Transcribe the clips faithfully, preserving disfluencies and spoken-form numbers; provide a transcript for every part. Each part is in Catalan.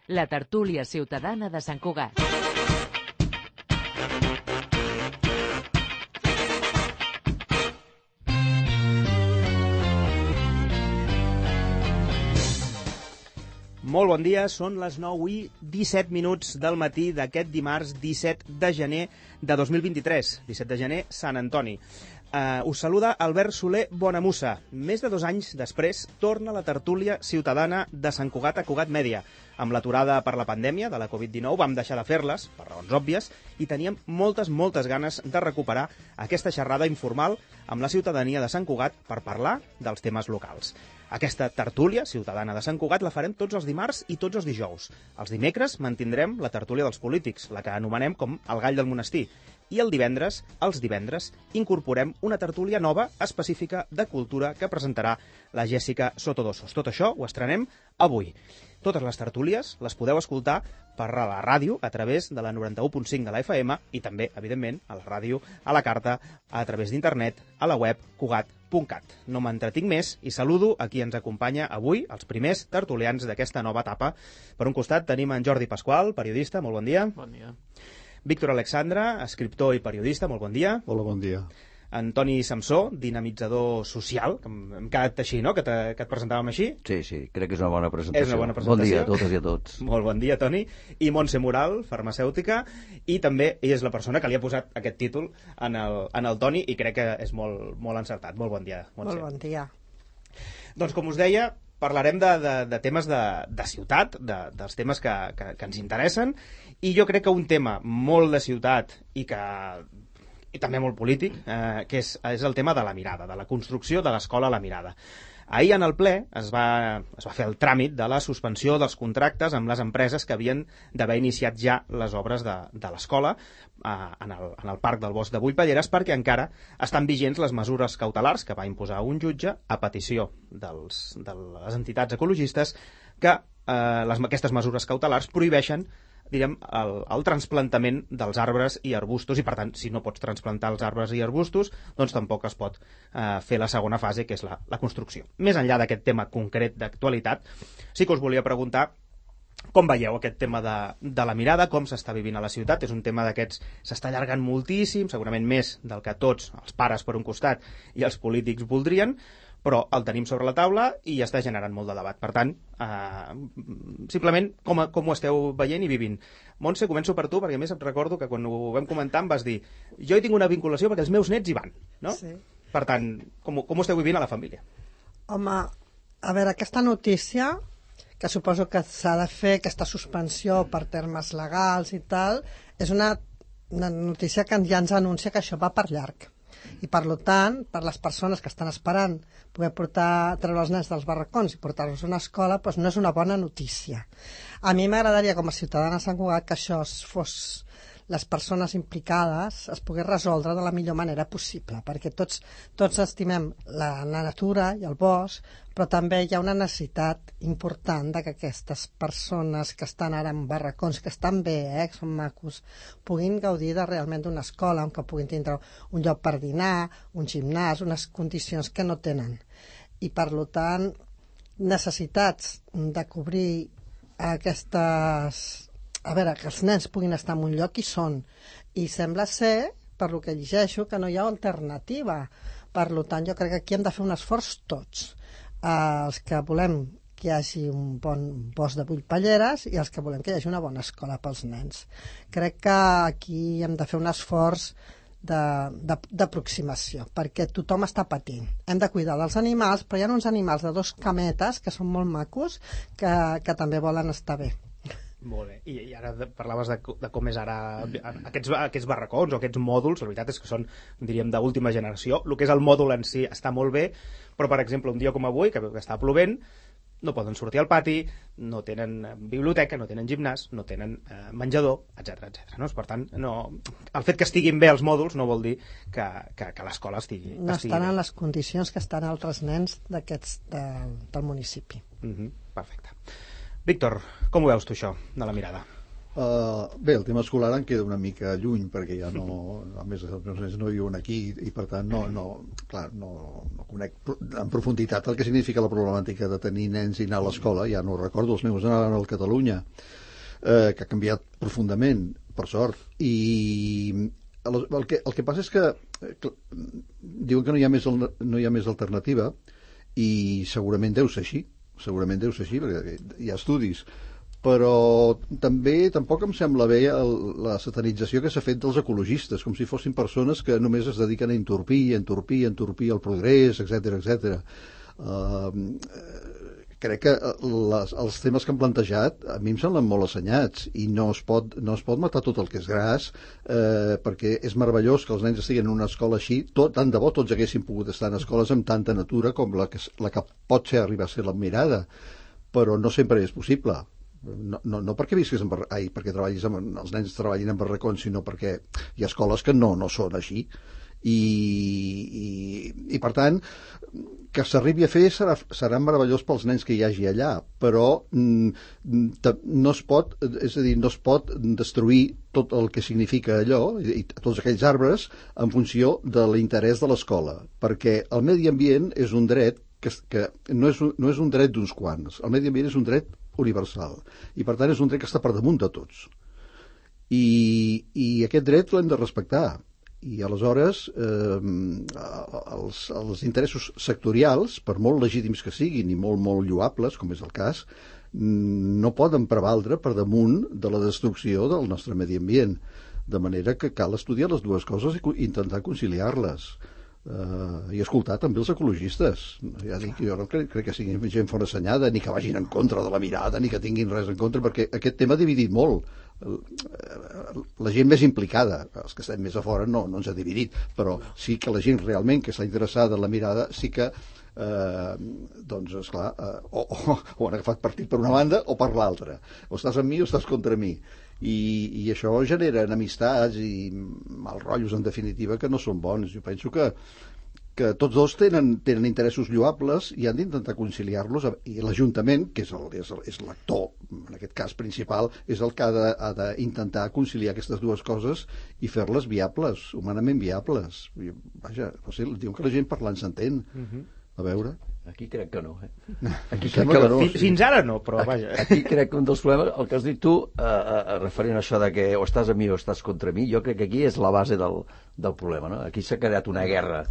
la tertúlia ciutadana de Sant Cugat. Molt bon dia, són les nou i disset minuts del matí d'aquest dimarts disset de gener de dos mil vint-i-tres, disset de gener, Sant Antoni. Uh, us saluda Albert Soler Bonamussa. Més de dos anys després torna la tertúlia ciutadana de Sant Cugat a Cugat Mèdia. Amb l'aturada per la pandèmia de la covid dinou vam deixar de fer-les, per raons òbvies, i teníem moltes, moltes ganes de recuperar aquesta xerrada informal amb la ciutadania de Sant Cugat per parlar dels temes locals. Aquesta tertúlia ciutadana de Sant Cugat la farem tots els dimarts i tots els dijous. Els dimecres mantindrem la tertúlia dels polítics, la que anomenem com el gall del monestir. I el divendres, els divendres, incorporem una tertúlia nova específica de cultura que presentarà la Jèssica Sotodosos. Tot això ho estrenem avui. Totes les tertúlies les podeu escoltar per la ràdio a través de la noranta-u punt cinc de la F M i també, evidentment, a la ràdio, a la carta, a través d'internet, a la web cugat punt cat. No m'entretinc més i saludo a qui ens acompanya avui, els primers tertulians d'aquesta nova etapa. Per un costat tenim en Jordi Pasqual, periodista, molt bon dia. Bon dia. Víctor Alexandra, escriptor i periodista, molt bon dia. Hola, bon dia. Antoni Samsó, dinamitzador social, que hem quedat així, no?, que, te, que et presentàvem així. Sí, sí, crec que és una bona presentació. És una bona presentació. Bon dia a totes i a tots. Molt bon dia, Toni. I Montse Moral, farmacèutica, i també ella és la persona que li ha posat aquest títol en el, en el Toni, i crec que és molt, molt encertat. Molt bon dia, Montse. Molt bon dia. Doncs, com us deia, parlarem de, de, de temes de, de ciutat, de, dels temes que, que, que ens interessen, i jo crec que un tema molt de ciutat i que i també molt polític, eh, que és, és el tema de la mirada, de la construcció de l'escola a la mirada. Ahir en el ple es va, es va fer el tràmit de la suspensió dels contractes amb les empreses que havien d'haver iniciat ja les obres de, de l'escola eh, en, el, en el parc del Bosc de Buipalleres, perquè encara estan vigents les mesures cautelars que va imposar un jutge a petició dels, de les entitats ecologistes que eh, les, aquestes mesures cautelars prohibeixen direm, el, el transplantament dels arbres i arbustos, i per tant, si no pots transplantar els arbres i arbustos, doncs tampoc es pot eh, fer la segona fase, que és la, la construcció. Més enllà d'aquest tema concret d'actualitat, sí que us volia preguntar com veieu aquest tema de, de la mirada, com s'està vivint a la ciutat. És un tema d'aquests, s'està allargant moltíssim, segurament més del que tots, els pares per un costat i els polítics voldrien, però el tenim sobre la taula i està generant molt de debat. Per tant, eh, simplement, com, com ho esteu veient i vivint? Montse, començo per tu, perquè a més em recordo que quan ho vam comentar em vas dir jo hi tinc una vinculació perquè els meus nets hi van, no? Sí. Per tant, com, com ho esteu vivint a la família? Home, a veure, aquesta notícia, que suposo que s'ha de fer, aquesta suspensió per termes legals i tal, és una, una notícia que ja ens anuncia que això va per llarg. I per tant, per les persones que estan esperant poder portar, treure els nens dels barracons i portar-los a una escola, doncs no és una bona notícia. A mi m'agradaria, com a ciutadana de Sant Cugat, que això fos les persones implicades es pogués resoldre de la millor manera possible, perquè tots, tots estimem la, la natura i el bosc, però també hi ha una necessitat important de que aquestes persones que estan ara en barracons, que estan bé, eh, que són macos, puguin gaudir de realment d'una escola, on que puguin tindre un lloc per dinar, un gimnàs, unes condicions que no tenen. I per tant, necessitats de cobrir aquestes... A veure, que els nens puguin estar en un lloc i són. I sembla ser, per lo que llegeixo, que no hi ha alternativa. Per tant, jo crec que aquí hem de fer un esforç tots. Eh, els que volem que hi hagi un bon bosc de Buipalleres i els que volem que hi hagi una bona escola pels nens. Crec que aquí hem de fer un esforç d'aproximació, perquè tothom està patint. Hem de cuidar dels animals, però hi ha uns animals de dos cametes que són molt macos que, que també volen estar bé. Molt bé, i, i ara de, parlaves de, de com és ara aquests, aquests barracons o aquests mòduls. La veritat és que són, diríem, d'última generació. El que és el mòdul en si està molt bé, però per exemple un dia com avui, que, que està plovent, no poden sortir al pati, no tenen biblioteca, no tenen gimnàs, no tenen eh, menjador, etcètera, etcètera. No? Per tant, no, el fet que estiguin bé els mòduls no vol dir que, que, que l'escola estigui, no estigui estan bé. en les condicions que estan altres nens d'aquests de, del municipi. Mm-hmm, perfecte. Víctor, com ho veus tu això, de la mirada? Uh, bé, el tema escolar em queda una mica lluny perquè ja no, a més els meus nens no viuen aquí i per tant no, no, clar, no, no conec en profunditat el que significa la problemàtica de tenir nens i anar a l'escola. Ja no ho recordo, els meus anaven al Catalunya, eh, que ha canviat profundament, per sort, i el que, el que passa és que, que diuen que no hi ha més, no hi ha més alternativa i segurament deu ser així, segurament deu ser així perquè hi ha estudis, però també tampoc em sembla bé el, la satanització que s'ha fet dels ecologistes, com si fossin persones que només es dediquen a entorpir, entorpir, entorpir el progrés, etcètera, etcètera. Uh, crec que les, els temes que han plantejat a mi em semblen molt assenyats i no es pot, no es pot matar tot el que és gras, eh, perquè és meravellós que els nens estiguin en una escola així. Tot, tant de bo tots haguessin pogut estar en escoles amb tanta natura com la que, la que pot ser arribar a ser la Mirada, però no sempre és possible. No, no, no perquè visquis en barra... Ai, perquè treballis amb... els nens treballin en barracons, sinó perquè hi ha escoles que no, no són així i, i, i per tant que s'arribi a fer serà, serà meravellós pels nens que hi hagi allà, però mm, no es pot, és a dir, no es pot destruir tot el que significa allò i, i tots aquells arbres en funció de l'interès de l'escola, perquè el medi ambient és un dret que, que no, és, no és un dret d'uns quants, el medi ambient és un dret universal i per tant és un dret que està per damunt de tots i, i aquest dret l'hem de respectar i aleshores eh, els, els interessos sectorials, per molt legítims que siguin i molt molt lloables com és el cas, no poden prevaldre per damunt de la destrucció del nostre medi ambient, de manera que cal estudiar les dues coses i intentar conciliar-les. Uh, i escoltar també els ecologistes. Ja dic, jo no crec, crec que siguin gent forassenyada, ni que vagin en contra de la Mirada, ni que tinguin res en contra, perquè aquest tema ha dividit molt. La gent més implicada, els que estem més a fora no, no ens ha dividit, però sí que la gent realment que està interessada en la Mirada sí que eh, doncs esclar eh, o, o, o han agafat partit per una banda o per l'altra, o estàs amb mi o estàs contra mi. I, i això genera enemistats i mal rotllos en definitiva que no són bons. Jo penso que, que tots dos tenen, tenen interessos lloables i han d'intentar conciliar-los, i l'Ajuntament, que és, el, és, el, és l'actor en aquest cas principal, és el que ha d'intentar conciliar aquestes dues coses i fer-les viables, humanament viables. I, vaja, no sé, diuen que la gent parlant s'entén. Uh-huh. A veure... Aquí crec que no, eh? Aquí crec que, que no, fins, sí. Fins ara no, però vaja. Aquí, aquí crec que un dels problemes, el que has dit tu, eh, eh, referent a això de que o estàs a mi o estàs contra mi, jo crec que aquí és la base del, del problema, no? Aquí s'ha creat una guerra,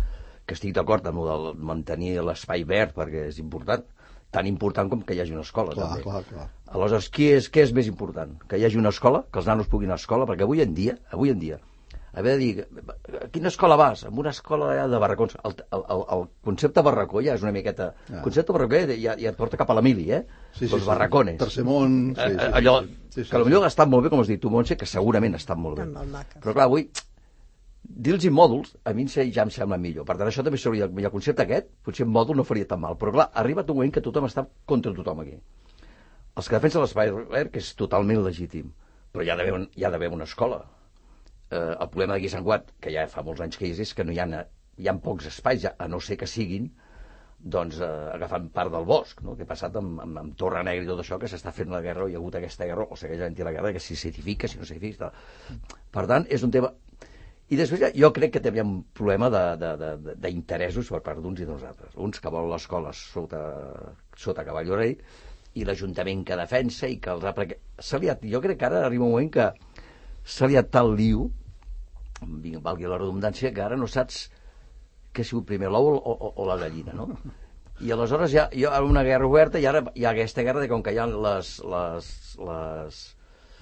que estic d'acord amb el de mantenir l'espai verd, perquè és important, tan important com que hi hagi una escola, clar, també. Clar, clar. Aleshores, què és, què és més important? Que hi hagi una escola, que els nanos puguin anar a escola, perquè avui en dia, avui en dia, haver de dir, a quina escola vas? En una escola de barracons. El, el, el, el concepte barracó ja és una miqueta... El ah. concepte barracó ja, ja et porta cap a la mili, eh? Sí, sí, els barracones. Tercer món... Sí, sí, sí, allò, sí, sí, que potser ha estat molt bé, com has dit tu, Montse, que segurament ha estat molt bé. Però clar, avui, dir-los mòduls, a mi ja em sembla millor. Per tant, això també seria el concepte aquest, potser un mòdul no faria tan mal. Però clar, ha arribat un moment que tothom està contra tothom aquí. Els que defensen l'espai verd, que és totalment legítim, però hi ha d'haver hi ha d'haver una escola. Eh, el problema d'aquí a Sant Cugat, que ja fa molts anys que hi és, és que no hi ha, hi ha pocs espais, ja, a no ser que siguin doncs, eh, agafant part del bosc, no? Que ha passat amb, amb, amb Torre Negra i tot això, que s'està fent la guerra, o hi ha hagut aquesta guerra, o segueix havent-hi la guerra, que si s'edifica, si no s'edifica... Per tant, és un tema... I després ja, jo crec que també hi ha un problema d'interessos per part d'uns i dels altres. Uns que volen l'escola sota, sota cavall o rei, i l'Ajuntament que defensa, i que els ha... S'ha liat, jo crec que ara arriba un moment que s'ha liat tal liu, valgui la redundància, que ara no saps què ha sigut primer, l'ou o, o, o la gallina, no? I aleshores hi ha, hi ha una guerra oberta i ara hi ha aquesta guerra de com que hi ha les... les, les,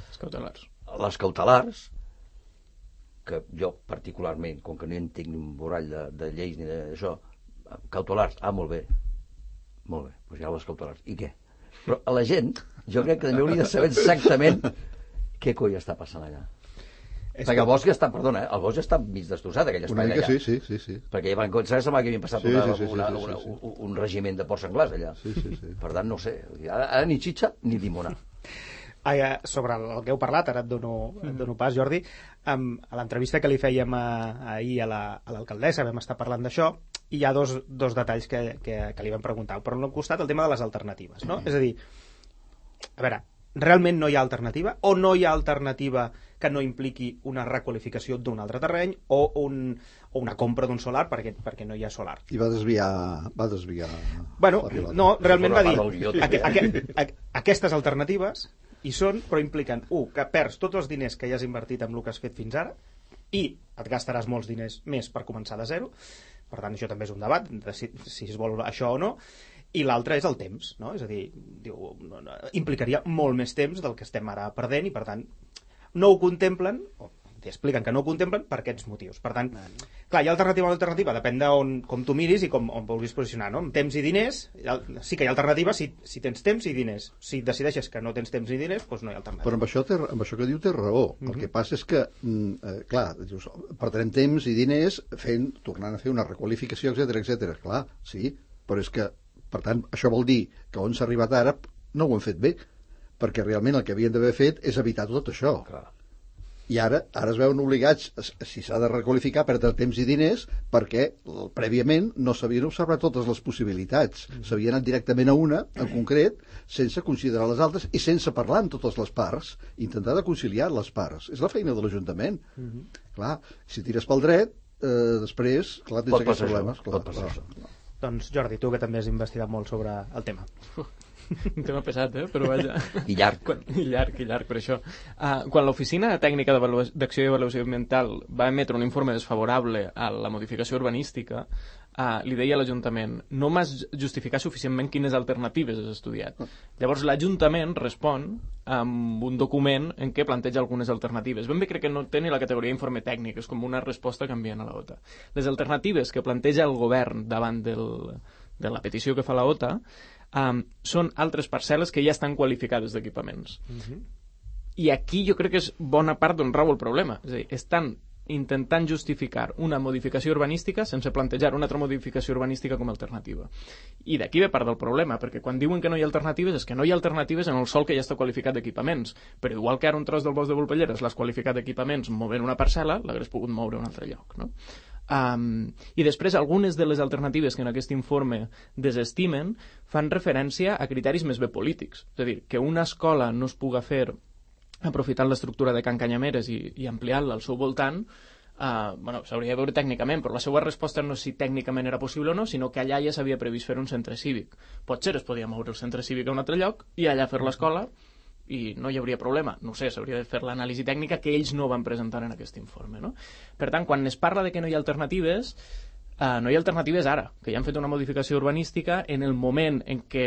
les cautelars. Les cautelars, que jo particularment, com que no entenc ni un borrall de, de lleis ni d'això, cautelars, ah, molt bé, molt bé, doncs hi ha les cautelars. I què? Però a la gent, jo crec que també hauria de saber exactament què coi està passant allà. És perquè el bosc ja està, perdona, eh, el bosc ja està mig destrossat, aquell espai allà. Sí, sí, sí, sí. Perquè ja van començar a semblar que havien passat sí, una, sí, sí, una, sí, sí, una, sí, sí. Un, un regiment de porcs senglars allà. Sí, sí, sí. Per tant, no sé, ara, ara ni xitxa ni llimona. Ah, sobre el que heu parlat, ara et dono, et dono pas, Jordi, um, a l'entrevista que li fèiem a, ahir a l'alcaldessa la, vam estar parlant d'això, i hi ha dos, dos detalls que, que, que li vam preguntar. Per un costat, el tema de les alternatives, no? Mm. És a dir, a veure, realment no hi ha alternativa, o no hi ha alternativa que no impliqui una requalificació d'un altre terreny o, un, o una compra d'un solar perquè, perquè no hi ha solar. I va desviar... Va desviar bueno, no, realment va dir aqu aqu aqu aquestes alternatives hi són, però impliquen, un, que perds tots els diners que hi has invertit en el que has fet fins ara i et gastaràs molts diners més per començar de zero. Per tant, això també és un debat de si, si es vol això o no. I l'altre és el temps, no? És a dir, diu, implicaria molt més temps del que estem ara perdent i, per tant, no ho contemplen, o expliquen que no ho contemplen per aquests motius. Per tant, clar, hi ha alternativa o alternativa, depèn de on, com tu miris i com on vulguis posicionar, no? Amb temps i diners, sí que hi ha alternativa si, si tens temps i diners. Si decideixes que no tens temps i diners, doncs no hi ha alternativa. Però amb això, té, amb això que diu té raó. Mm-hmm. El que passa és que, eh, clar, dius, perdrem temps i diners fent, tornant a fer una requalificació, etcètera, etcètera. Clar, sí, però és que, per tant, això vol dir que on s'ha arribat ara no ho hem fet bé, perquè realment el que havien d'haver fet és evitar tot això. Clar. I ara ara es veuen obligats, si s'ha de requalificar, a perdre temps i diners perquè prèviament no s'havien observat totes les possibilitats. S'havia anat directament a una, en concret, sense considerar les altres i sense parlar amb totes les parts, intentar de conciliar les parts. És la feina de l'Ajuntament. Mm-hmm. Clar, si tires pel dret, eh, després, clar, tens Pot aquests problemes. Això. Clar, Pot passar clar. això. Doncs Jordi, tu que també has investigat molt sobre el tema. Un tema pesat, eh? Però vaja. I llarg. Quan, I llarg, i llarg, per això. Uh, quan l'Oficina Tècnica d'Acció i Avaluació Ambiental va emetre un informe desfavorable a la modificació urbanística, uh, li deia a l'Ajuntament, no m'has justificat suficientment quines alternatives has estudiat. Llavors l'Ajuntament respon amb un document en què planteja algunes alternatives. Ben bé crec que no té ni la categoria informe tècnic, és com una resposta canviant a la O T A. Les alternatives que planteja el govern davant del, de la petició que fa la O T A Um, són altres parcel·les que ja estan qualificades d'equipaments. Uh-huh. I aquí jo crec que és bona part d'on rau el problema. És a dir, estan intentant justificar una modificació urbanística sense plantejar una altra modificació urbanística com a alternativa. I d'aquí ve part del problema, perquè quan diuen que no hi ha alternatives és que no hi ha alternatives en el sòl que ja està qualificat d'equipaments. Però igual que ara un tros del bosc de Volpelleres l'has qualificat d'equipaments movent una parcel·la, l'hagués pogut moure a un altre lloc, no? Um, i després algunes de les alternatives que en aquest informe desestimen fan referència a criteris més bé polítics, és a dir, que una escola no es puga fer aprofitant l'estructura de Can Canyameres i, i ampliant-la al seu voltant, uh, bueno, s'hauria de veure tècnicament, però la seva resposta no és si tècnicament era possible o no, sinó que allà ja s'havia previst fer un centre cívic. Potser es podia moure el centre cívic a un altre lloc i allà fer l'escola i no hi hauria problema. No sé, s'hauria de fer l'anàlisi tècnica que ells no van presentar en aquest informe, no? Per tant, quan es parla de que no hi ha alternatives, eh, no hi ha alternatives ara, que ja han fet una modificació urbanística en el moment en què,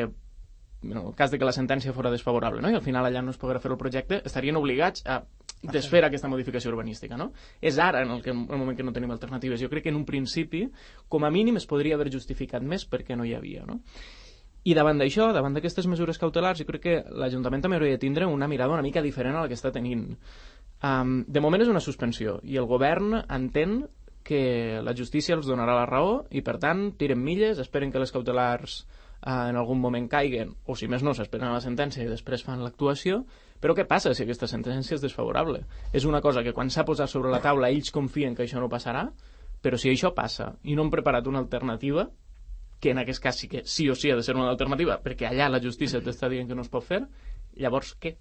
en el cas de que la sentència fora desfavorable, no? I al final allà no es poguera fer el projecte, estarien obligats a desfer aquesta modificació urbanística, no? És ara en el, que, en el moment que no tenim alternatives. Jo crec que en un principi, com a mínim, es podria haver justificat més perquè no hi havia, no? I davant d'això, davant d'aquestes mesures cautelars, jo crec que l'Ajuntament també hauria de tindre una mirada una mica diferent a la que està tenint. Um, de moment és una suspensió, i el govern entén que la justícia els donarà la raó, i per tant tiren milles, esperen que les cautelars uh, en algun moment caiguen, o si més no, s'esperen a la sentència i després fan l'actuació. Però què passa si aquesta sentència és desfavorable? És una cosa que quan s'ha posat sobre la taula ells confien que això no passarà, però si això passa i no han preparat una alternativa, que en aquest cas sí que sí o sí ha de ser una alternativa, perquè allà la justícia t'està dient que no es pot fer, llavors què?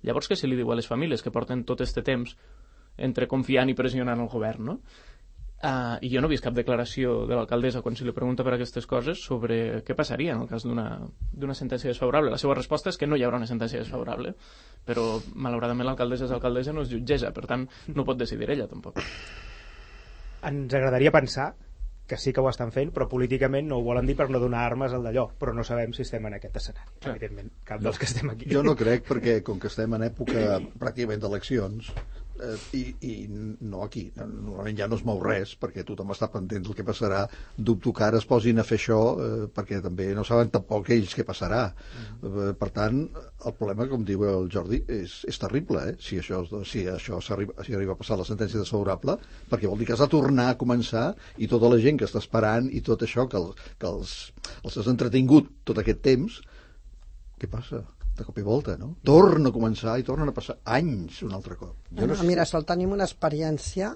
Llavors què se li diu a les famílies que porten tot aquest temps entre confiant i pressionant el govern, no? Uh, I jo no he vist cap declaració de l'alcaldessa quan se li pregunta per aquestes coses sobre què passaria en el cas d'una sentència desfavorable. La seva resposta és que no hi haurà una sentència desfavorable, però malauradament l'alcaldessa és alcaldessa, no és jutgessa, per tant no pot decidir ella tampoc. Ens agradaria pensar que sí que ho estan fent, però políticament no ho volen dir per no donar armes al d'allò, però no sabem si estem en aquest escenari, sí. Evidentment, cap no. dels que estem aquí. Jo no crec, perquè com que estem en època pràcticament d'eleccions, eh, i, i no aquí, normalment ja no es mou res, perquè tothom està pendent del que passarà, dubto que ara es posin a fer això, eh, perquè també no saben tampoc ells què passarà. Mm. Eh, per tant, el problema, com diu el Jordi, és, és terrible, eh? Si això, si això s'arriba, si arriba a passar la sentència desfavorable, perquè vol dir que has de tornar a començar i tota la gent que està esperant i tot això que, el, que els, els has entretingut tot aquest temps, què passa? De cop i volta, no? Torna a començar i tornen a passar anys un altre cop. Jo no sé. Mira, sol tenim una experiència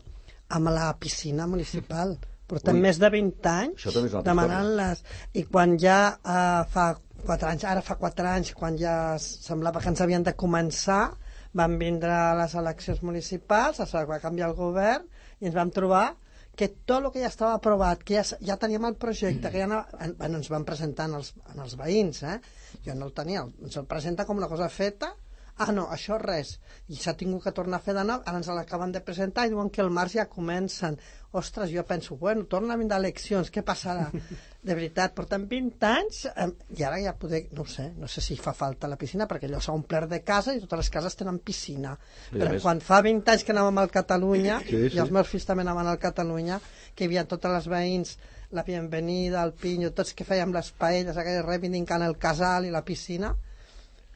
amb la piscina municipal. Portem Ui. més de vint anys demanant-les. I quan ja uh, fa quatre anys, ara fa quatre anys, quan ja semblava que ens havien de començar, van vindre les eleccions municipals, es va canviar el govern i ens vam trobar que tot el que ja estava aprovat, que ja, ja teníem el projecte, que ja anava, bueno, ens van presentar en els, en els veïns, eh? Jo no el tenia, ens el presenta com una cosa feta, ah no, això res, i s'ha tingut que tornar a fer de nou, ara ens l'acaben de presentar i diuen que el març ja comencen. Ostres, jo penso, bueno, torna a vindre eleccions, què passarà? De veritat, porten vint anys eh, i ara ja poder, no ho sé, no sé si fa falta la piscina, perquè allò s'ha omplert de casa i totes les cases tenen piscina. Sí, però més... quan fa vint anys que anàvem al Catalunya, sí, sí. I els meus fills també anaven al Catalunya, que hi havia totes les veïns, la Bienvenida, el Pinyo, tots que fèiem les paelles, aquelles reivindicant el casal i la piscina,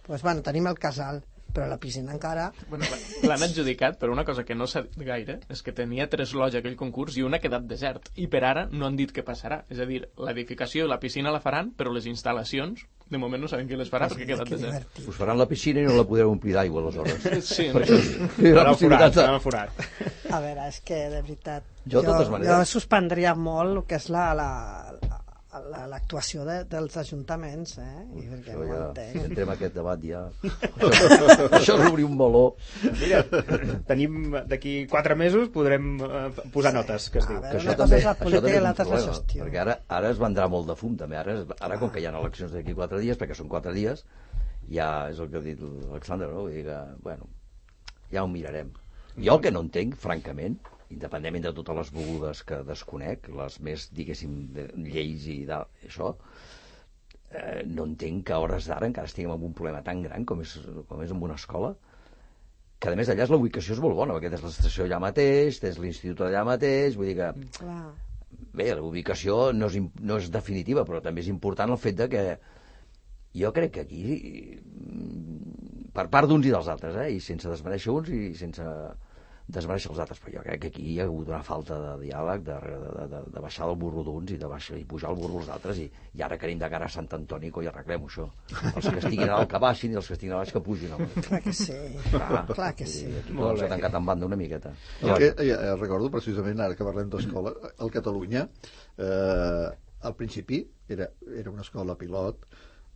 doncs, bueno, tenim el casal, però la piscina encara... Bueno, l'han adjudicat, però una cosa que no s'ha dit gaire és que tenia tres lots aquell concurs i una ha quedat desert. I per ara no han dit què passarà. És a dir, l'edificació i la piscina la faran, però les instal·lacions, de moment no saben qui les farà, sí, perquè ha quedat desert. Divertit. Us faran la piscina i no la podreu omplir d'aigua, aleshores. Sí, no? Serà el forat, serà el forat. A veure, és que, de veritat, jo, jo, maneres... jo suspendria molt el que és la... la, la l'actuació de, dels ajuntaments, eh? I perquè això no ja, entenc. si entrem aquest debat ja... això, això és obrir un meló. Mira, tenim d'aquí quatre mesos podrem uh, posar sí. notes, que es diu. A veure, que una això cosa també, és la política i l'altra és la gestió. Perquè ara, ara es vendrà molt de fum, també. Ara, ara com que hi ha eleccions d'aquí quatre dies, perquè són quatre dies, ja és el que ha dit l'Alexandre, no? Vull dir que, bueno, ja ho mirarem. Jo el que no entenc, francament, independentment de totes les begudes que desconec, les més, diguéssim, de lleis i d'això, eh, no entenc que a hores d'ara encara estiguem amb un problema tan gran com és, com és en una escola, que a més allà és la ubicació és molt bona, perquè tens l'estació allà mateix, tens l'institut allà mateix, vull dir que... Clar. Bé, la ubicació no és, no és definitiva, però també és important el fet de que jo crec que aquí, per part d'uns i dels altres, eh, i sense desmereixer uns i sense... desmereixer els altres, però jo crec que aquí hi ha hagut una falta de diàleg, de, de, de, de baixar del burro d'uns i de baixar, i pujar el burro dels altres, i, i ara que anem de cara a Sant Antoni, coi, arreglem això. Els que estiguin a dalt que baixin i els que estiguin a baix que pugin. Home. Clar que sí, clar, clar que sí. Aquí tot s'ha tancat en banda una miqueta. El que, ja, recordo precisament, ara que parlem d'escola, al Catalunya, eh, al principi era, era una escola pilot,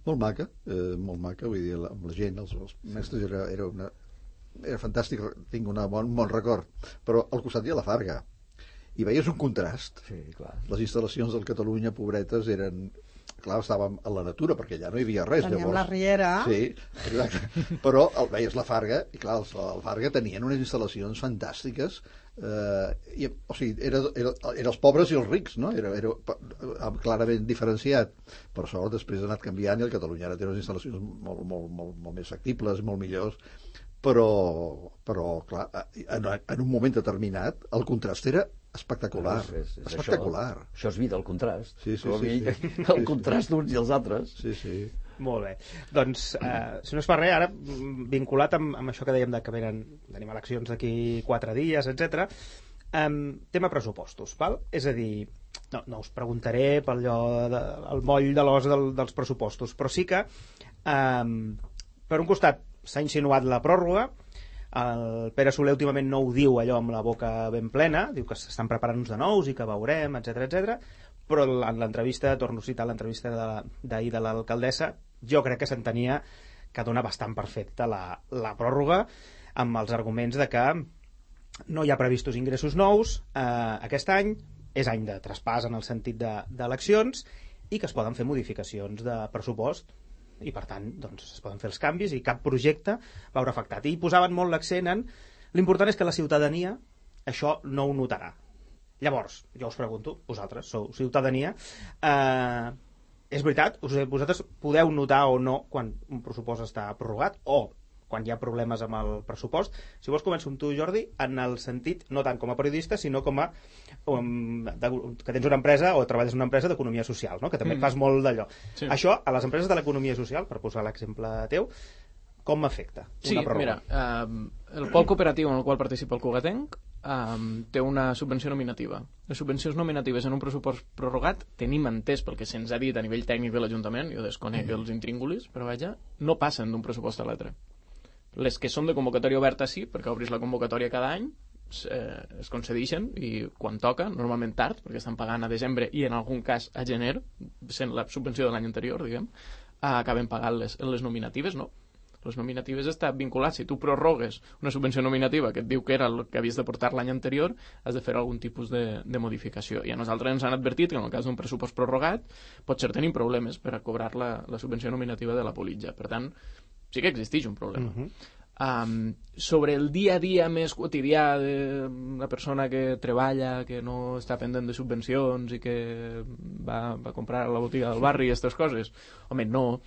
molt maca, eh, molt maca, vull dir, amb la gent, els, els mestres, era, era una... era fantàstic, tinc un bon, bon record, però al costat hi ha la Farga i veies un contrast. Sí, clar. Les instal·lacions del Catalunya, pobretes, eren... clar, estàvem a la natura perquè allà no hi havia res. Teníem llavors. la riera. Sí, exacte. Però el, veies la Farga i clar, els, el Farga tenien unes instal·lacions fantàstiques, eh, i, o sigui, era, era, era els pobres i els rics, no? Era, era clarament diferenciat. Per sort després ha anat canviant i el Catalunya ara té unes instal·lacions molt, molt, molt, molt més factibles, molt millors, però, però clar, en, en un moment determinat el contrast era espectacular. És, és, és espectacular. Això, això és vida, el contrast. Sí, sí, sí, sí. El contrast d'uns i els altres. Sí, sí. Molt bé. Doncs, eh, si no es fa res, ara, vinculat amb, amb això que dèiem de que venen, tenim eleccions d'aquí quatre dies, etcètera, eh, tema pressupostos, val? És a dir, no, no us preguntaré pel allò de, el moll de l'os del, dels pressupostos, però sí que, eh, per un costat, s'ha insinuat la pròrroga, el Pere Soler últimament no ho diu allò amb la boca ben plena, diu que s'estan preparant uns de nous i que veurem, etcètera, etcètera, però en l'entrevista, torno a citar l'entrevista d'ahir de l'alcaldessa, jo crec que s'entenia que dona bastant perfecta la, la pròrroga amb els arguments de que no hi ha previstos ingressos nous eh, aquest any, és any de traspàs en el sentit d'eleccions de, i que es poden fer modificacions de pressupost i per tant doncs, es poden fer els canvis i cap projecte veure afectat. I posaven molt l'accent en l'important és que la ciutadania això no ho notarà. Llavors, jo us pregunto, vosaltres sou ciutadania, eh, és veritat, vosaltres podeu notar o no quan un pressupost està prorrogat o quan hi ha problemes amb el pressupost. Si vols començo amb tu, Jordi, en el sentit, no tant com a periodista, sinó com a um, de, que tens una empresa o treballes en una empresa d'economia social, no? Que també mm. fas molt d'allò. Sí. Això, a les empreses de l'economia social, per posar l'exemple teu, com m'afecta sí, una pròrroga? Mira, eh, el pol cooperatiu en el qual participa el Cugatenc eh, té una subvenció nominativa. Les subvencions nominatives en un pressupost prorrogat tenim entès pel que se'ns ha dit a nivell tècnic de l'Ajuntament, jo desconec mm. els intríngulis, però vaja, no passen d'un pressupost a l'altre. Les que són de convocatòria oberta sí, perquè obris la convocatòria cada any, eh, es concedeixen i quan toca, normalment tard, perquè estan pagant a desembre i en algun cas a gener, sent la subvenció de l'any anterior, diguem, acaben pagant les, les nominatives, no? Les nominatives està vinculat. Si tu prorrogues una subvenció nominativa que et diu que era el que havies de portar l'any anterior, has de fer algun tipus de, de modificació. I a nosaltres ens han advertit que en el cas d'un pressupost prorrogat potser tenim problemes per a cobrar la, la subvenció nominativa de la Politja. Per tant, sí que existeix un problema. Uh -huh. Um, sobre el dia a dia més quotidià de la persona que treballa, que no està pendent de subvencions i que va, va comprar a la botiga del barri i aquestes coses, home, no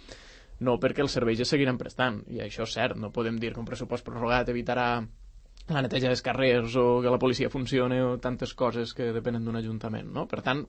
no perquè els serveis es seguiran prestant, i això és cert, no podem dir que un pressupost prorrogat evitarà la neteja dels carrers o que la policia funcioni o tantes coses que depenen d'un ajuntament, no? Per tant,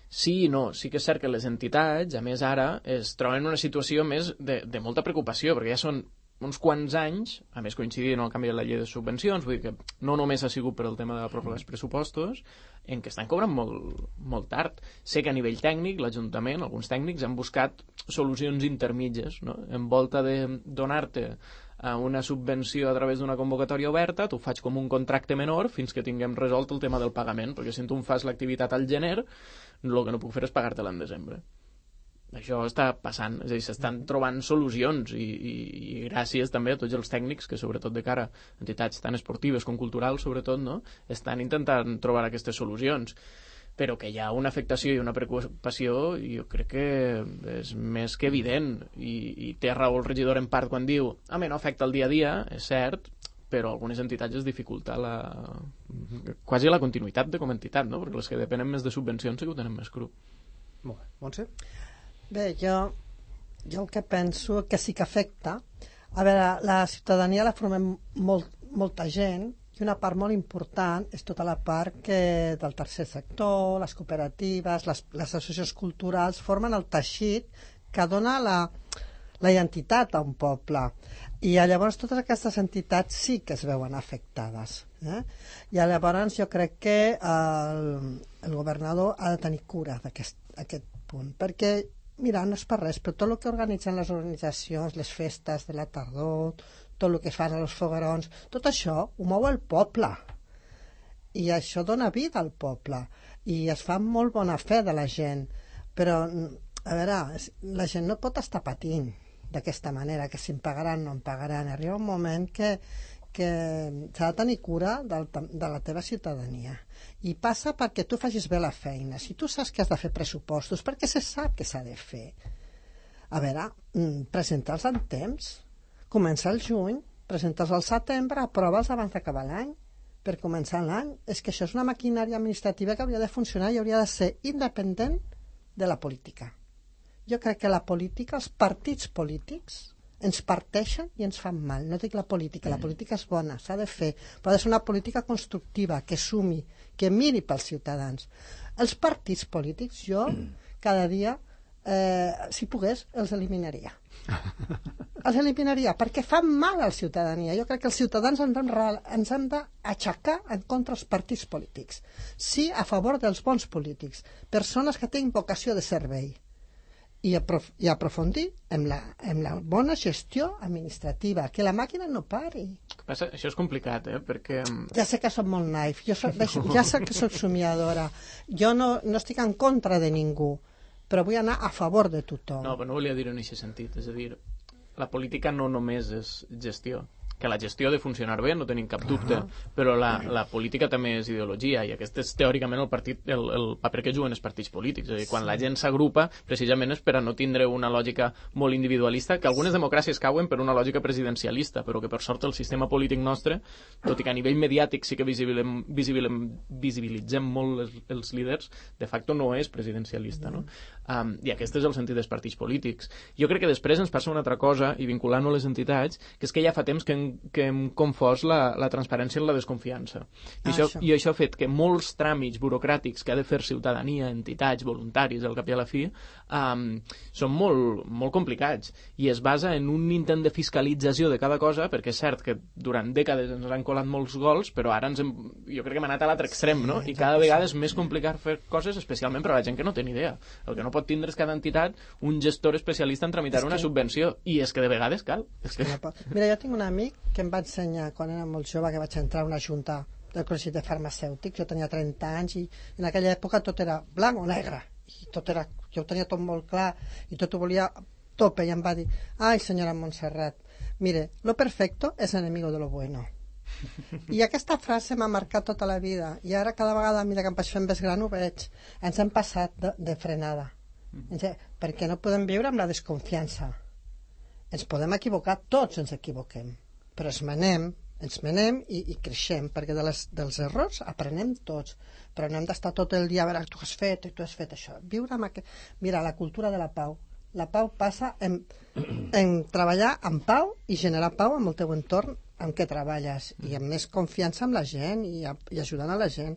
sí i no, sí que és cert que les entitats, a més ara, es troben en una situació més de, de molta preocupació, perquè ja són uns quants anys, a més coincidint amb el canvi de la llei de subvencions, vull dir que no només ha sigut per el tema de la pròrroga dels pressupostos, en què estan cobrant molt, molt tard. Sé que a nivell tècnic, l'Ajuntament, alguns tècnics, han buscat solucions intermitges, no? En volta de donar-te una subvenció a través d'una convocatòria oberta, tu faig com un contracte menor fins que tinguem resolt el tema del pagament, perquè si tu em fas l'activitat al gener, el que no puc fer és pagar-te-la en desembre. Això està passant, és a dir, s'estan trobant solucions i, i, i gràcies també a tots els tècnics que, sobretot de cara a entitats tan esportives com culturals, sobretot, no? Estan intentant trobar aquestes solucions. Però que hi ha una afectació i una preocupació, jo crec que és més que evident, i, i té raó el regidor en part quan diu home, no afecta el dia a dia, és cert, però algunes entitats es dificulta la... quasi la continuïtat de com a entitat, no? Perquè les que depenen més de subvencions sí que ho tenen més cru. Molt bé. Montse? Bé, jo, jo el que penso que sí que afecta, a veure, la ciutadania la formem molt, molta gent, i una part molt important és tota la part que del tercer sector, les cooperatives, les, les associacions culturals formen el teixit que dona la, la identitat a un poble. I llavors totes aquestes entitats sí que es veuen afectades. Eh? I llavors jo crec que el, el governador ha de tenir cura d'aquest aquest punt, perquè mira, no és per res, però tot el que organitzen les organitzacions, les festes de la tardor, tot el que fan als foguerons, tot això ho mou el poble. I això dona vida al poble. I es fa molt bona fe de la gent. Però, a veure, la gent no pot estar patint d'aquesta manera, que si em pagaran o no em pagaran. Arriba un moment que, que s'ha de tenir cura del, de la teva ciutadania. I passa perquè tu facis bé la feina. Si tu saps que has de fer pressupostos, perquè se sap que s'ha de fer. A veure, presenta'ls en temps. Comença el juny, presenta'ls al setembre, aprova'ls abans d'acabar l'any. Per començar l'any, és que això és una maquinària administrativa que hauria de funcionar i hauria de ser independent de la política. Jo crec que la política, els partits polítics, ens parteixen i ens fan mal. No dic la política, la política és bona, s'ha de fer, però ha de ser una política constructiva, que sumi, que miri pels ciutadans. Els partits polítics, jo, cada dia, eh, si pogués, els eliminaria. Els eliminaria, perquè fan mal a la ciutadania. Jo crec que els ciutadans ens hem d'aixecar en contra dels partits polítics. Sí, a favor dels bons polítics, persones que tenen vocació de servei. I, aprof i aprofundir en la, en la bona gestió administrativa, que la màquina no pari. Passa, això és complicat, eh? Perquè... Ja sé que soc molt naif, jo soc, ja sé que soc somiadora, jo no, no estic en contra de ningú, però vull anar a favor de tothom. No, però no volia dir-ho en aquest sentit, és a dir, la política no només és gestió, que la gestió ha de funcionar bé, no tenim cap dubte, uh -huh. però la, la política també és ideologia, i aquest és teòricament el, partit, el, el paper que juguen els partits polítics. És a dir, quan sí. la gent s'agrupa, precisament és per a no tindre una lògica molt individualista, que algunes democràcies cauen per una lògica presidencialista, però que per sort el sistema polític nostre, tot i que a nivell mediàtic sí que visibilem, visibilem, visibilitzem molt els, els líders, de facto no és presidencialista, no? Um, I aquest és el sentit dels partits polítics. Jo crec que després ens passa una altra cosa, i vinculant-ho a les entitats, que és que ja fa temps que hem que hem confós la, la transparència en la desconfiança. I, ah, això, això. I això ha fet que molts tràmits burocràtics que ha de fer ciutadania, entitats, voluntaris, al cap i a la fi, um, són molt, molt complicats. I es basa en un intent de fiscalització de cada cosa, perquè és cert que durant dècades ens han colat molts gols, però ara ens hem, jo crec que hem anat a l'altre extrem, no? I cada vegada és més complicat fer coses, especialment per a la gent que no té ni idea. El que no pot tindre és cada entitat un gestor especialista en tramitar una subvenció. I és que de vegades cal. És que... Mira, jo tinc un amic que em va ensenyar quan era molt jove, que vaig entrar a una junta del Col·legi de Farmacèutics, jo tenia trenta anys i en aquella època tot era blanc o negre, i tot era, jo ho tenia tot molt clar i tot ho volia tope, i em va dir, ai, senyora Montserrat, mire, lo perfecto es enemigo de lo bueno. I aquesta frase m'ha marcat tota la vida, i ara cada vegada, mira que em vaig fent més gran, ho veig. Ens hem passat de, de frenada. Mm-hmm. Perquè no podem viure amb la desconfiança. Ens podem equivocar, tots ens equivoquem, però ens menem, ens menem i, i creixem, perquè de les, dels errors aprenem tots, però no hem d'estar tot el dia a veure, tu has fet i tu has fet això. Viure amb aquest... Mira, la cultura de la pau. La pau passa en, en treballar amb pau i generar pau amb el teu entorn en què treballes, i amb més confiança amb la gent i, a, i ajudant a la gent.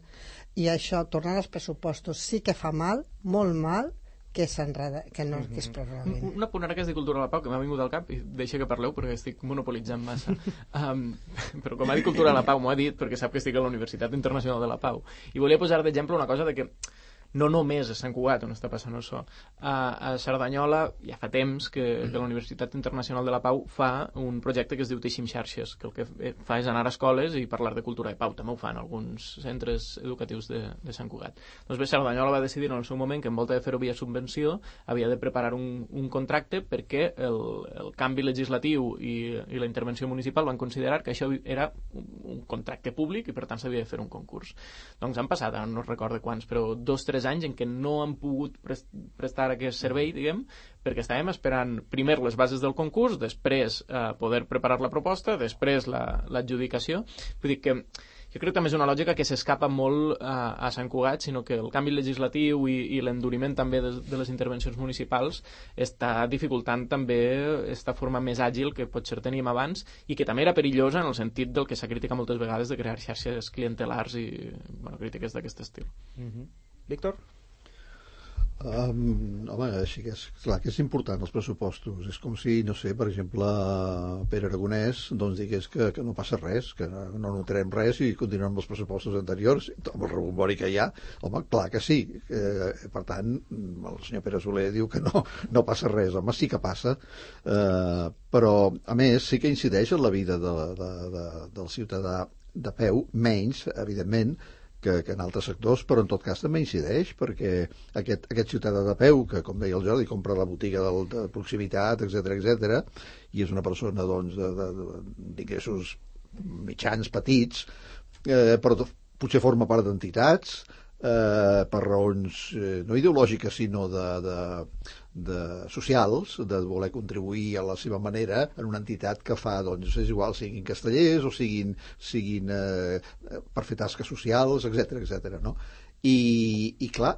I això, tornant als pressupostos, sí que fa mal, molt mal, que s'enreda, que no que es prorroguin. Una punt ara que és de cultura de la pau, que m'ha vingut al cap, i deixa que parleu perquè estic monopolitzant massa. Um, però com ha dit cultura de la pau, m'ho ha dit perquè sap que estic a la Universitat Internacional de la Pau. I volia posar d'exemple una cosa de que no només a Sant Cugat on està passant això. A, a Cerdanyola ja fa temps que, que la Universitat Internacional de la Pau fa un projecte que es diu Teixim Xarxes, que el que fa és anar a escoles i parlar de cultura de pau. També ho fan alguns centres educatius de, de Sant Cugat. Doncs bé, Cerdanyola va decidir en el seu moment que en volta de fer-ho via subvenció havia de preparar un, un contracte perquè el, el canvi legislatiu i, i la intervenció municipal van considerar que això era un, un contracte públic i per tant s'havia de fer un concurs. Doncs han passat, no recordo quants, però dos, tres anys en què no han pogut prestar aquest servei, diguem, perquè estàvem esperant primer les bases del concurs, després eh, poder preparar la proposta, després l'adjudicació. La, Vull dir que jo crec que també és una lògica que s'escapa molt a, a Sant Cugat, sinó que el canvi legislatiu i, i l'enduriment també de, de les intervencions municipals està dificultant també aquesta forma més àgil que potser teníem abans i que també era perillosa en el sentit del que s'ha criticat moltes vegades de crear xarxes clientelars i bueno, crítiques d'aquest estil. Mm-hmm. Víctor? Um, home, així que és clar que és important els pressupostos. És com si, no sé, per exemple Pere Aragonès doncs digués que, que no passa res, que no notarem res i continuem amb els pressupostos anteriors amb el rebombori que hi ha. Home, clar que sí, eh, per tant el senyor Pere Soler diu que no, no passa res. Home, sí que passa, eh, però a més sí que incideix en la vida de, de, de, del ciutadà de peu, menys, evidentment, Que, que en altres sectors, però en tot cas també incideix, perquè aquest, aquest ciutadà de peu, que com deia el Jordi, compra la botiga del, de proximitat, etcètera, etcètera, i és una persona doncs, de, de, de, d'ingressos mitjans, petits, eh, però potser forma part d'entitats, eh, per raons eh, no ideològiques, sinó de, de, de socials, de voler contribuir a la seva manera en una entitat que fa, doncs, és igual, siguin castellers o siguin, siguin eh, per fer tasques socials, etcètera, etcètera, no? I, i clar,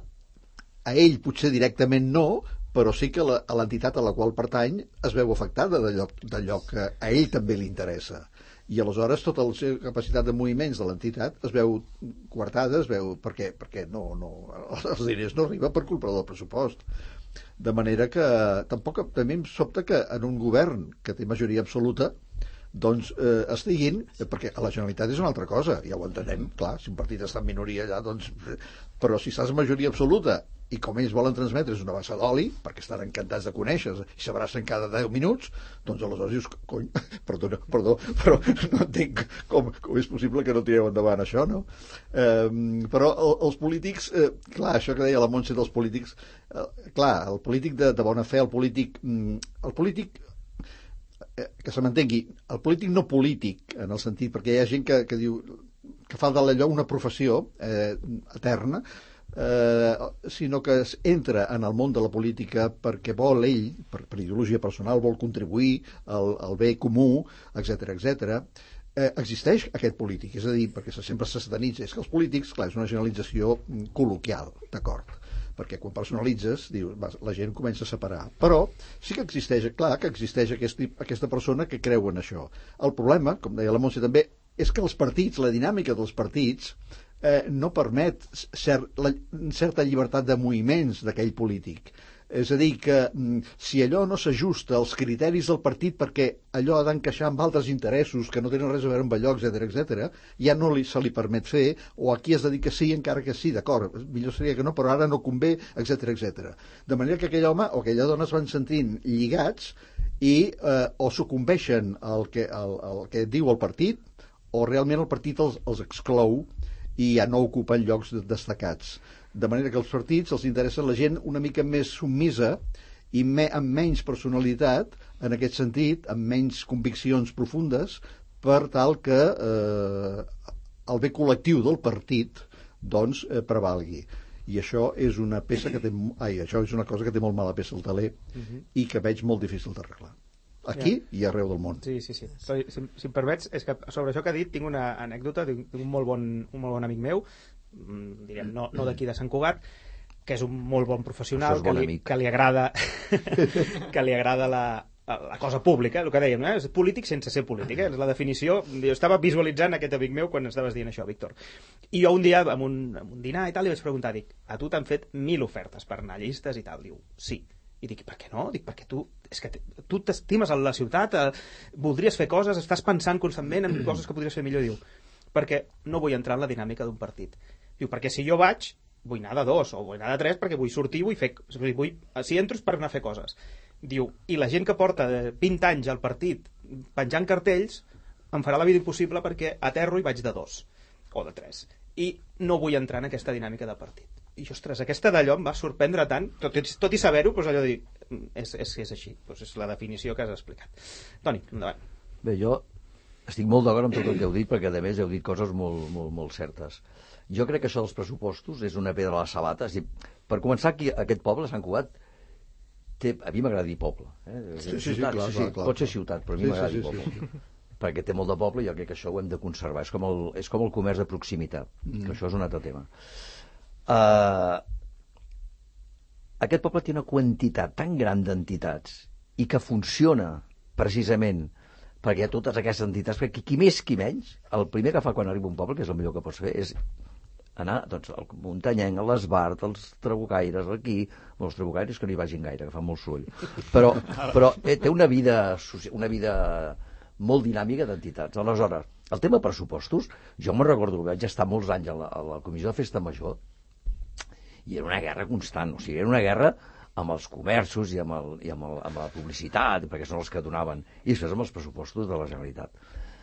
a ell potser directament no, però sí que la, a l'entitat a la qual pertany es veu afectada d'allò, d'allò que a ell també li interessa. I aleshores tota la seva capacitat de moviments de l'entitat es veu coartada, es veu perquè, perquè no, no, els diners no arriben per culpa del pressupost. De manera que tampoc també em sobta que en un govern que té majoria absoluta doncs eh, estiguin, perquè a la Generalitat és una altra cosa, ja ho entenem, clar, si un partit està en minoria allà, doncs, però si estàs en majoria absoluta i com ells volen transmetre és una bassa d'oli, perquè estan encantats de conèixer i s'abracen cada deu minuts, doncs aleshores dius, cony, perdó, perdó, però no entenc com, com és possible que no tireu endavant això, no? Eh, però el, els polítics, eh, clar, això que deia la Montse dels polítics, eh, clar, el polític de, de bona fe, el polític, el polític que se m'entengui, el polític no polític, en el sentit, perquè hi ha gent que, que diu que fa d'allò una professió eh, eterna, eh, sinó que entra en el món de la política perquè vol ell, per, per ideologia personal, vol contribuir al, al bé comú, etcètera, etcètera. Eh, existeix aquest polític, és a dir, perquè sempre se satanitza, és que els polítics, clar, és una generalització col·loquial, d'acord, perquè quan personalitzes, dius, la gent comença a separar. Però sí que existeix, clar, que existeix aquest, aquesta persona que creu en això. El problema, com deia la Montse també, és que els partits, la dinàmica dels partits, eh, no permet cert, la, certa llibertat de moviments d'aquell polític. És a dir, que si allò no s'ajusta als criteris del partit perquè allò ha d'encaixar amb altres interessos que no tenen res a veure amb allò, etcètera, etcètera, ja no li, se li permet fer, o aquí has de dir que sí, encara que sí, d'acord, millor seria que no, però ara no convé, etcètera, etcètera. De manera que aquell home o aquella dona es van sentint lligats i eh, o sucumbeixen al que, al, al que diu el partit, o realment el partit els, els exclou i ja no ocupen llocs destacats. De manera que els partits els interessa la gent una mica més submisa i me, amb menys personalitat, en aquest sentit, amb menys conviccions profundes, per tal que eh, el bé col·lectiu del partit doncs eh, prevalgui. I això és una peça que té, ai, això és una cosa que té molt mala peça al taler uh-huh. i que veig molt difícil d'arreglar. Aquí ja. I arreu del món. Sí, sí, sí. Si, si, si em permets, és que sobre això que ha dit tinc una anècdota d'un molt bon, un molt bon amic meu, direm, no, no d'aquí de Sant Cugat, que és un molt bon professional, bon que, li, que li agrada que li agrada la, la cosa pública, el que dèiem, eh? És polític sense ser polític, eh? És la definició. Jo estava visualitzant aquest amic meu quan estaves dient això, Víctor. I jo un dia, en un, en un dinar i tal, li vaig preguntar, dic, a tu t'han fet mil ofertes per anar a llistes i tal? Diu, sí. I dic, per què no? Dic, perquè tu, és que tu t'estimes a la ciutat, eh, voldries fer coses, estàs pensant constantment en coses que podries fer millor. Diu, perquè no vull entrar en la dinàmica d'un partit. Diu, perquè si jo vaig, vull anar de dos o vull anar de tres perquè vull sortir, vull fer... Vull, si entro és per anar a fer coses. Diu, i la gent que porta vint anys al partit penjant cartells em farà la vida impossible perquè aterro i vaig de dos o de tres. I no vull entrar en aquesta dinàmica de partit. I, ostres, aquesta d'allò em va sorprendre tant, tot, tot i saber-ho, doncs allò de dir, és, és, és així, doncs és la definició que has explicat. Toni, endavant. Bé, jo estic molt d'acord amb tot el que heu dit, perquè a més heu dit coses molt, molt, molt certes. Jo crec que això dels pressupostos és una pedra a la sabata. És dir, per començar, aquí, aquest poble, Sant Cugat, té, a mi m'agrada dir poble. Eh? Sí, sí, sí, clar, sí, sí, clar, clar. Pot ser ciutat, però a mi sí, m'agrada sí, dir poble. Sí, sí. Perquè té molt de poble i jo crec que això ho hem de conservar. És com el, és com el comerç de proximitat, mm. que això és un altre tema. Uh, aquest poble té una quantitat tan gran d'entitats i que funciona precisament perquè hi ha totes aquestes entitats, perquè qui més qui menys, el primer que fa quan arriba un poble, que és el millor que pots fer, és anar doncs, al Muntanyenc, a l'Esbart, als Trabucaires, aquí, bueno, els Trabucaires que no hi vagin gaire, que fan molt soroll, però, però eh, té una vida, una vida molt dinàmica d'entitats. Aleshores, el tema pressupostos, jo me'n recordo que vaig estar molts anys a la, a la Comissió de Festa Major i era una guerra constant, o sigui, era una guerra amb els comerços i amb, el, i amb, el, amb la publicitat, perquè són els que donaven, i després amb els pressupostos de la Generalitat.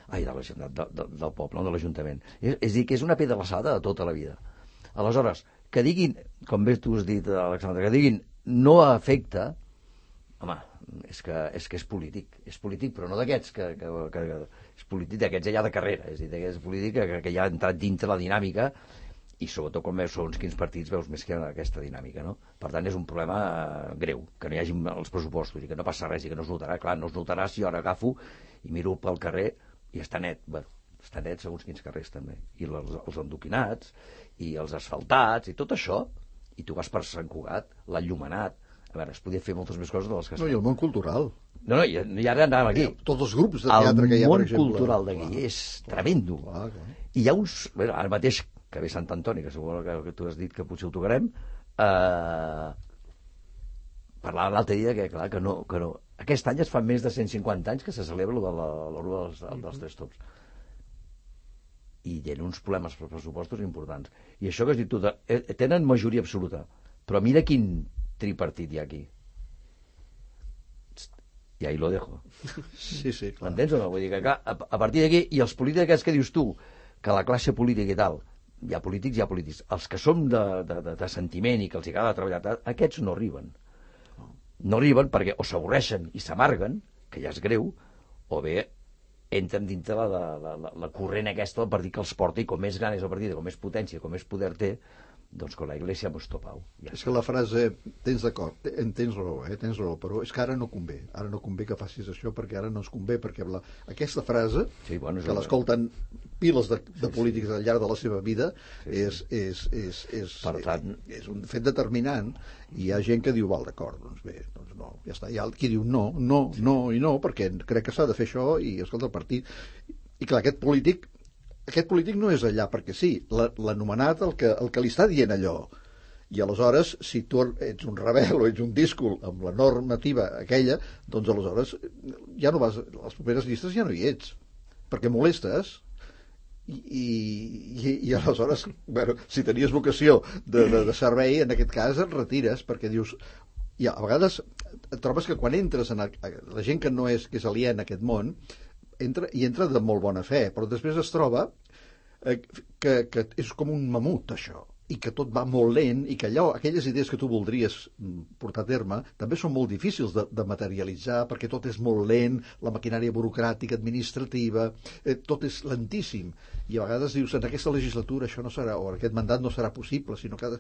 Ai, de la Generalitat, de, de, del poble, no de l'Ajuntament. És, és a dir, que és una pedrassada de tota la vida. Aleshores, que diguin, com bé tu has dit, Alexandre, que diguin no afecta, home, és que és, que és polític, és polític, però no d'aquests, que, que, que, que és polític d'aquests allà de carrera, és a dir, d'aquests polític que, que ja ha entrat dintre la dinàmica, i sobretot quan veus segons quins partits veus més que aquesta dinàmica, no? Per tant, és un problema eh, greu, que no hi hagi els pressupostos i que no passa res i que no es notarà. Clar, no es notarà si jo ara agafo i miro pel carrer i està net. Bueno, està net segons quins carrers també. I els, els endoquinats, i els asfaltats, i tot això, i tu vas per Sant Cugat, l'enllumenat. A veure, es podia fer moltes més coses de les que es No, i el món cultural. No, no, i, i ara anàvem aquí. Tots els grups de teatre que hi ha, per exemple. El món cultural d'aquí és tremendo. Clar, clar. I hi ha uns... Bueno, ara mateix que ve Sant Antoni, que segur que, que tu has dit que potser ho tocarem, eh, parlava l'altre dia que, clar, que no, que no. Aquest any es fa més de cent cinquanta anys que se celebra l'Orua dels, dels Tres Tops. I tenen uns problemes per pressupostos importants. I això que has dit tu, de, eh, tenen majoria absoluta, però mira quin tripartit hi ha aquí. I ahí lo dejo. Sí, sí, clar. M'entens o no? Vull dir que, clar, a, a partir d'aquí, i els polítics que dius tu, que la classe política i tal, hi ha polítics, hi ha polítics. Els que som de, de, de, de sentiment i que els agrada treballar, aquests no arriben. No arriben perquè o s'avorreixen i s'amarguen, que ja és greu, o bé entren dintre la, la, la, la corrent aquesta del partit que els porta, i com més gran és el partit, com més potència, com més poder té, doncs con la Iglesia hemos topado. Ja és que la frase, tens d'acord, tens raó, eh, tens raó, però és que ara no convé, ara no convé que facis això, perquè ara no ens convé, perquè la, aquesta frase, sí, bueno, que l'escolten piles de, de polítics al llarg de la seva vida, sí, sí. És, és, és, és, per tant, és un fet determinant, i hi ha gent que diu, val, d'acord, doncs bé, doncs no, ja està, hi ha qui diu no, no, no i no, perquè crec que s'ha de fer això, i escolta, el partit... I clar, aquest polític aquest polític no és allà perquè sí, l'anomenat el que, el que li està dient allò, i aleshores si tu ets un rebel o ets un díscol amb la normativa aquella, doncs aleshores ja no vas, a les properes llistes ja no hi ets, perquè molestes, i, i, i aleshores bueno, si tenies vocació de, de, de servei, en aquest cas et retires, perquè dius, ja, a vegades et trobes que quan entres en el, la gent que no és, que és aliena a aquest món, entra, i entra de molt bona fe, però després es troba eh, que, que és com un mamut, això. i que tot va molt lent, i que allò, aquelles idees que tu voldries portar a terme també són molt difícils de, de materialitzar, perquè tot és molt lent, la maquinària burocràtica, administrativa, eh, tot és lentíssim, i a vegades dius, en aquesta legislatura això no serà, o en aquest mandat no serà possible, sinó que,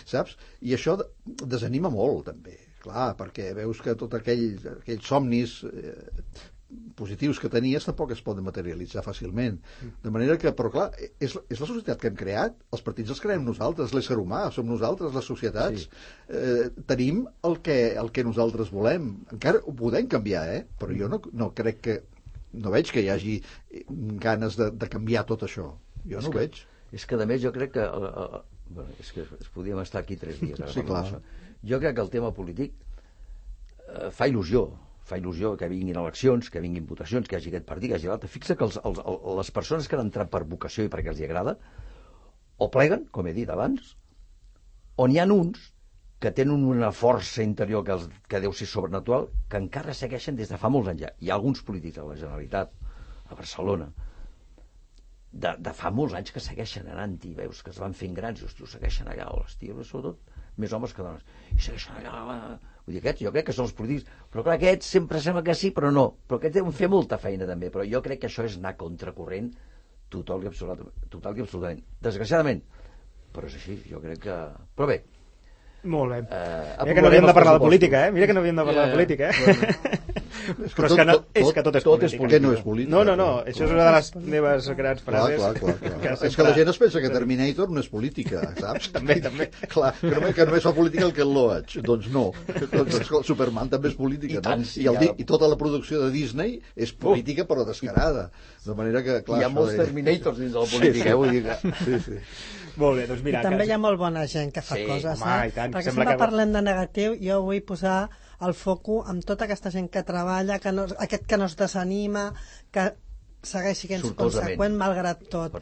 saps? I això desanima molt, també, clar, perquè veus que tot aquell, aquells somnis eh, positius que tenies tampoc es poden materialitzar fàcilment. De manera que, però clar, és, és la societat que hem creat, els partits els creem nosaltres, l'ésser humà, som nosaltres, les societats, sí. eh, tenim el que, el que nosaltres volem. Encara ho podem canviar, eh? Però jo no, no crec que, no veig que hi hagi ganes de, de canviar tot això. Jo no ho veig. És que, a més, jo crec que... Uh, uh, bueno, és que es podíem estar aquí tres dies. Ara, sí, clar. Jo crec que el tema polític uh, fa il·lusió. Fa il·lusió que vinguin eleccions, que vinguin votacions, que hi hagi aquest partit, que hi hagi l'altre. Fixa que els, els, les persones que han entrat per vocació i perquè els hi agrada, o pleguen, com he dit abans, o n'hi ha uns que tenen una força interior que, els, que deu ser sobrenatural, que encara segueixen des de fa molts anys ja. Hi ha alguns polítics a la Generalitat, a Barcelona, de, de fa molts anys que segueixen anant-hi, veus que es van fent grans, i hòstia, segueixen allà, hòstia, sobretot més homes que dones, i segueixen allà... Vull dir, aquests, jo crec que són els polítics, però clar, aquests sempre sembla que sí, però no. Però aquests deuen fer molta feina també, però jo crec que això és anar contracorrent total i absolutament. Total i absolutament. Desgraciadament, però és així, jo crec que... Però bé. Molt bé. Eh, Mira que no havíem de parlar de política, eh? Mira que no havíem de parlar de política, eh? Bueno. Però és que, no, és que tot és tot política. Tot és no és política. No, no, no, això és una de les meves grans frases. Clar, clar, clar, clar. Que és que la gent es pensa que Terminator no és política, saps? també, també. Clar, que només, que només fa política el Ken Loach. Doncs no. Doncs Superman també és política, I tant, no? sí, I, el, ja... I tota la producció de Disney és política, però descarada. De manera que, clar... Hi ha molts de... Terminators dins de la política, sí, sí. eh? Vull dir que... Sí, sí. Molt bé, doncs mira... I també que... hi ha molt bona gent que fa sí, coses, home, eh? i tant, perquè sembla sempre que... parlem de negatiu, jo vull posar el foco amb tota aquesta gent que treballa, que no, aquest que no es desanima, que segueix sent conseqüent malgrat tot.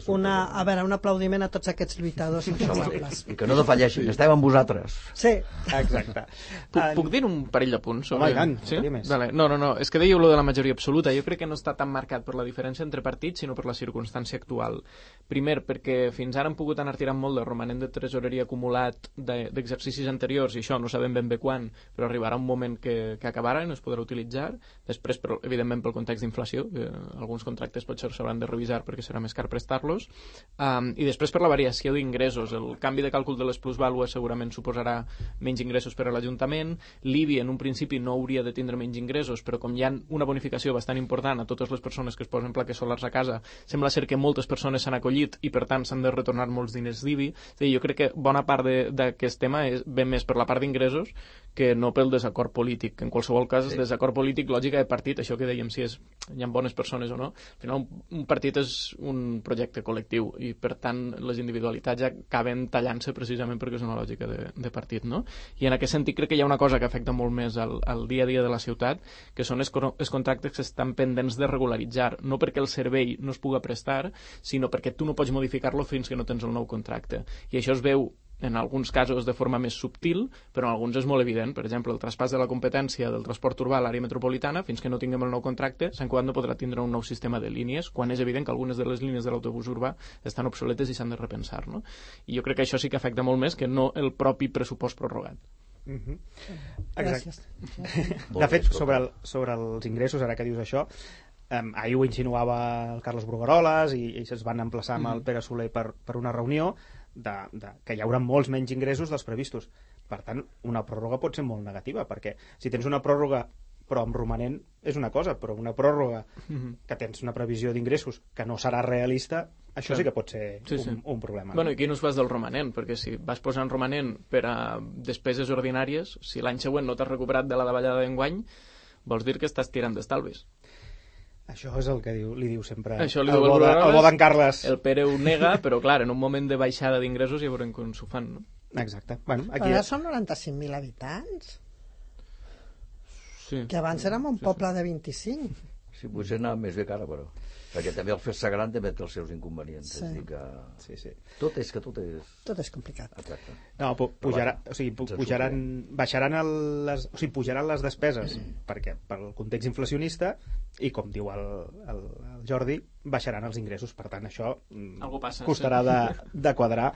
Una, a veure, un aplaudiment a tots aquests lluitadors incansables. I que no defalleixin, estem amb vosaltres. Sí. Exacte. Puc, uh, puc dir un parell de punts? Sobre... Home, i tant, sí? més. Vale. No, no, no, és que dèieu lo de la majoria absoluta. Jo crec que no està tan marcat per la diferència entre partits, sinó per la circumstància actual. Primer, perquè fins ara han pogut anar tirant molt de romanent de tresoreria acumulat d'exercicis anteriors, i això no sabem ben bé quan, però arribarà un moment que, que acabarà i no es podrà utilitzar. Després, però, evidentment, pel context d'inflació, que alguns contractes potser s'hauran de revisar perquè serà més car prestar-los, um, i després per la variació d'ingressos. El canvi de càlcul de les plusvàlues segurament suposarà menys ingressos per a l'Ajuntament. L'I B I en un principi no hauria de tindre menys ingressos, però com hi ha una bonificació bastant important a totes les persones que es posen plaques solars a casa, sembla ser que moltes persones s'han acollit i per tant s'han de retornar molts diners d'I B I. És a dir, jo crec que bona part d'aquest tema és, ve més per la part d'ingressos que no pel desacord polític. En qualsevol cas, sí. Desacord polític, lògica de partit, això que dèiem, si és, hi ha bones persones o no, al final un, un partit és un projecte col·lectiu i per tant les individualitats ja acaben tallant-se precisament perquè és una lògica de, de partit, no? I en aquest sentit crec que hi ha una cosa que afecta molt més al, al dia a dia de la ciutat, que són els, els contractes que estan pendents de regularitzar, no perquè el servei no es puga prestar, sinó perquè tu no pots modificar-lo fins que no tens el nou contracte. I això es veu en alguns casos de forma més subtil, però en alguns és molt evident. Per exemple, el traspàs de la competència del transport urbà a l'àrea metropolitana, fins que no tinguem el nou contracte, Sant Cugat no podrà tindre un nou sistema de línies, quan és evident que algunes de les línies de l'autobús urbà estan obsoletes i s'han de repensar, no? I jo crec que això sí que afecta molt més que no el propi pressupost prorrogat. Mm-hmm. Gràcies. De fet, sobre, el, sobre els ingressos, ara que dius això, um, ahir ho insinuava el Carles Brugueroles i, i es van emplaçar amb el Pere Soler per, per una reunió de, de, que hi haurà molts menys ingressos dels previstos. Per tant, una pròrroga pot ser molt negativa, perquè si tens una pròrroga però amb romanent és una cosa, però una pròrroga que tens una previsió d'ingressos que no serà realista, això sí, sí que pot ser sí, sí. Un, un problema. Bueno, i aquí no es fas del romanent, perquè si vas posant romanent per a despeses ordinàries, si l'any següent no t'has recuperat de la davallada d'enguany, vols dir que estàs tirant d'estalvis. Això és el que diu, li diu sempre Això li el, diu bo de, el bo d'en Carles. El Pere ho nega, però clar, en un moment de baixada d'ingressos ja veurem com s'ho fan, no? Exacte. Bueno, aquí... Però ara som noranta-cinc mil habitants. Sí. Que abans érem un sí, poble sí. de vint-i-cinc. Sí, potser anava més bé que ara, però... Perquè també el fer-se gran també té els seus inconvenients. Sí. És dir que... Sí, sí. Tot és que tot és... Tot és complicat. Exacte. No, pu pujarà, o sigui, pu pujaran, baixaran el, les, o sigui, pujaran les despeses perquè pel context inflacionista i, com diu el, el, el Jordi, baixaran els ingressos. Per tant, això Algú passa, costarà sí. de, de quadrar,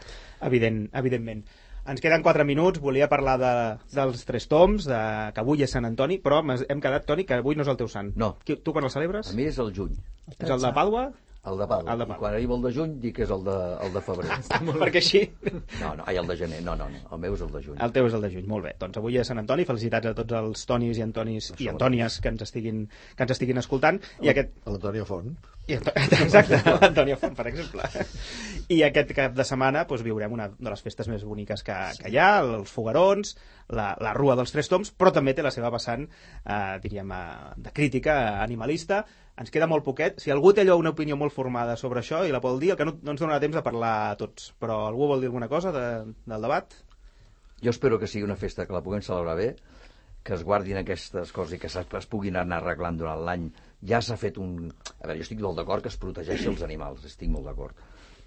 evident, evidentment. Ens queden quatre minuts, volia parlar de, dels tres toms, de, que avui és Sant Antoni, però hem quedat, Toni, que avui no és el teu sant. No. Qui, tu quan el celebres? A mi és el juny. És el de Pàdua? El de Pàdua. El de I Pàdua. quan arriba el de juny dic que és el de, el de febrer. Perquè així... No, no, ai, el de gener. No, no, no. El meu és el de juny. El teu és el de juny, molt bé. Doncs avui és Sant Antoni, felicitats a tots els Tonis i Antonis i Antònies que ens estiguin, que ens estiguin escoltant. I aquest... L'Antònia Font. I Anto... Exacte, l'Antònia Font, per exemple. I aquest cap de setmana doncs, viurem una de les festes més boniques que, que hi ha, els foguerons, la, la Rua dels Tres Toms, però també té la seva vessant, eh, diríem, eh, de crítica animalista. Ens queda molt poquet. Si algú té allò una opinió molt formada sobre això i la vol dir, el que no, no ens donarà temps de parlar a tots. Però algú vol dir alguna cosa de, del debat? Jo espero que sigui una festa que la puguem celebrar bé, que es guardin aquestes coses i que es puguin anar arreglant durant l'any. Ja s'ha fet un... A veure, jo estic molt d'acord que es protegeixi els animals, estic molt d'acord.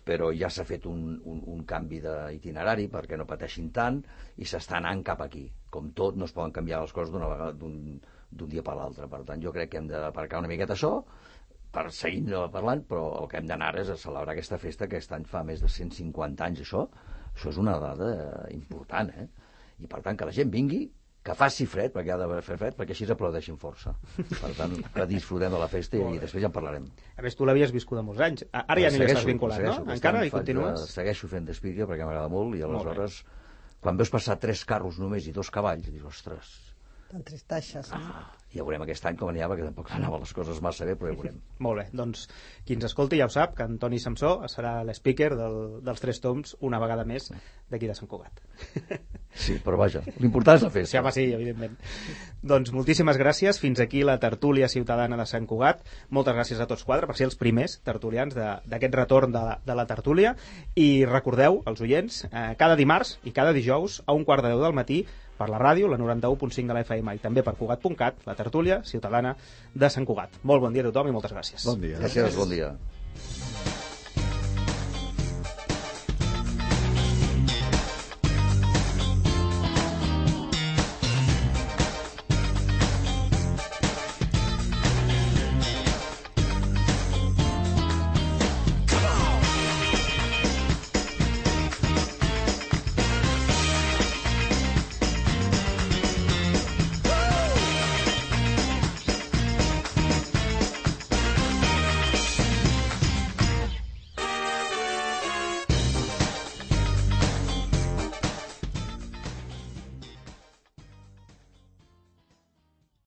Però ja s'ha fet un, un, un canvi d'itinerari perquè no pateixin tant i s'està anant cap aquí. Com tot, no es poden canviar les coses d'una vegada, d'un d'un dia per l'altre. Per tant, jo crec que hem d'aparcar una miqueta això per seguir parlant, però el que hem d'anar és a celebrar aquesta festa que aquest any fa més de cent cinquanta anys. Això, això és una dada important, eh? I per tant, que la gent vingui, que faci fred, perquè ha de fer fred, perquè així aplaudeixin força. Per tant, que disfrutem de la festa i després ja en parlarem. A més, tu l'havies viscut de molts anys. Ara ja no hi estàs vinculat, no? Encara hi continues? Segueixo fent d'espíria perquè m'agrada molt i aleshores, quan veus passar tres carros només i dos cavalls, dius, ostres... T'entristeixes. Ah, ja veurem aquest any com anirà, perquè tampoc anaven les coses massa bé, però ja veurem. Molt bé, doncs qui ens escolti ja ho sap, que Antoni Samsó serà l'speaker del, dels Tres Toms una vegada més d'aquí de Sant Cugat. Sí, però vaja, l'important és la festa. Sí, home, sí, evidentment. Doncs moltíssimes gràcies, fins aquí la tertúlia ciutadana de Sant Cugat. Moltes gràcies a tots quatre per ser els primers tertulians d'aquest retorn de, de la tertúlia, i recordeu, els oients, eh, cada dimarts i cada dijous a un quart de deu del matí per la ràdio, la noranta-u punt cinc de la F M, i també per Cugat punt cat, la tertúlia ciutadana de Sant Cugat. Molt bon dia a tothom i moltes gràcies. Bon dia. Gràcies, bon dia.